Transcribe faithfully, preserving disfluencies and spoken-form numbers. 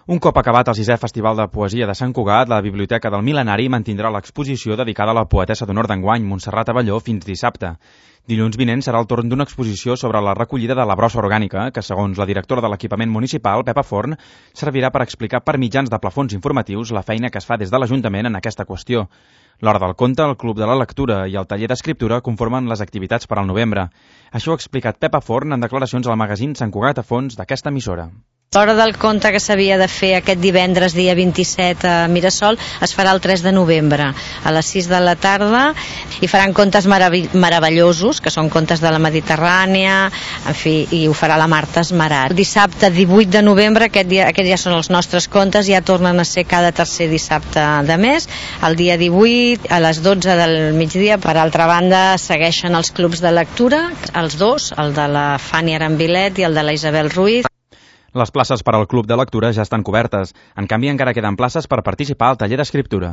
Un cop acabat el sisè Festival de Poesia de Sant Cugat, la Biblioteca del Mil·lenari mantindrà l'exposició dedicada a la poetessa d'honor d'enguany, Montserrat Abelló, fins dissabte. Dilluns vinent serà el torn d'una exposició sobre la recollida de la brossa orgànica, que, segons la directora de l'equipament municipal, Pepa Forn, servirà per explicar per mitjans de plafons informatius la feina que es fa des de l'Ajuntament en aquesta qüestió. L'Hora del Conte, el Club de la Lectura i el Taller d'Escriptura conformen les activitats per al novembre. Això ha explicat Pepa Forn en declaracions al magazín Sant Cugat a Fons d'aquesta emissora. L'Hora del Conte, que s'havia de fer aquest divendres, dia vint-i-set, a Mirasol, es farà el tres de novembre, a les sis de la tarda, i faran contes merav- meravellosos, que són contes de la Mediterrània, en fi, i ho farà la Marta Esmerat. El dissabte divuit de novembre, aquest dia, aquests ja són els nostres contes, ja tornen a ser cada tercer dissabte de mes, el dia divuit, a les dotze del migdia. Per altra banda, segueixen els clubs de lectura, els dos, el de la Fanny Arambilet i el de la Isabel Ruiz. Les places per al Club de Lectura ja estan cobertes. En canvi, encara queden places per participar al Taller d'Escriptura.